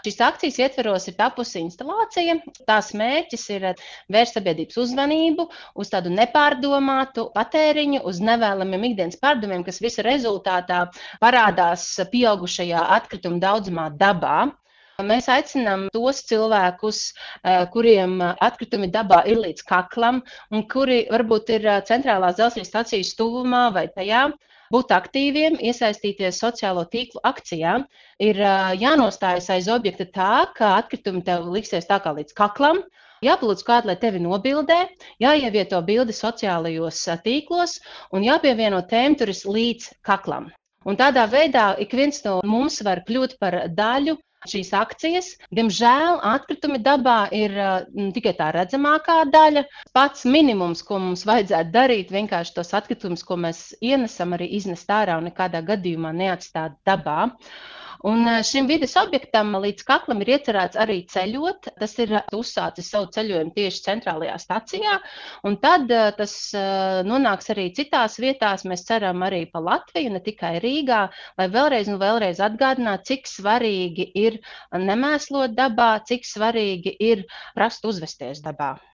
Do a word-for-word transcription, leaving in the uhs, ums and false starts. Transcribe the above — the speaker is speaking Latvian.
Šīs akcijas ietveros ir tapusi instalācija. Tās mērķis ir vērst sabiedrības uzmanību uz tādu nepārdomātu patēriņu, uz nevēlamiem ikdienas pārdomiem, kas visa rezultātā parādās pieaugušajā atkrituma daudzumā dabā. Mēs aicinām tos cilvēkus, kuriem atkritumi dabā ir līdz kaklam un kuri varbūt ir centrālās dzelzceļa stacijas tuvumā vai tajā, būt aktīviem, iesaistīties sociālo tīklu akcijā. Ir jānostājas aiz objekta tā, ka atkritumi tev liksies tā kā līdz kaklam, jāpalūdz kādu, lai tevi nobildē, jāievieto bildi sociālajos tīklos un jāpievieno tēmturis līdz kaklam. Un tādā veidā ik viens no mums var kļūt par daļu šīs akcijas. Diemžēl atkritumi dabā ir uh, tikai tā redzamākā daļa. Pats minimums, ko mums vajadzētu darīt, vienkārši tos atkritumus, ko mēs ienesam, arī iznest ārā un nekādā gadījumā neatstāt dabā. Un šim vides objektam līdz kaklam ir iecerēts arī ceļot. Tas ir uzsācis savu ceļojumu tieši centrālajā stacijā, un tad tas nonāks arī citās vietās. Mēs ceram arī pa Latviju, ne tikai Rīgā, lai vēlreiz un vēlreiz atgādinātu, cik svarīgi ir nemēslot dabā, cik svarīgi ir prast uzvesties dabā.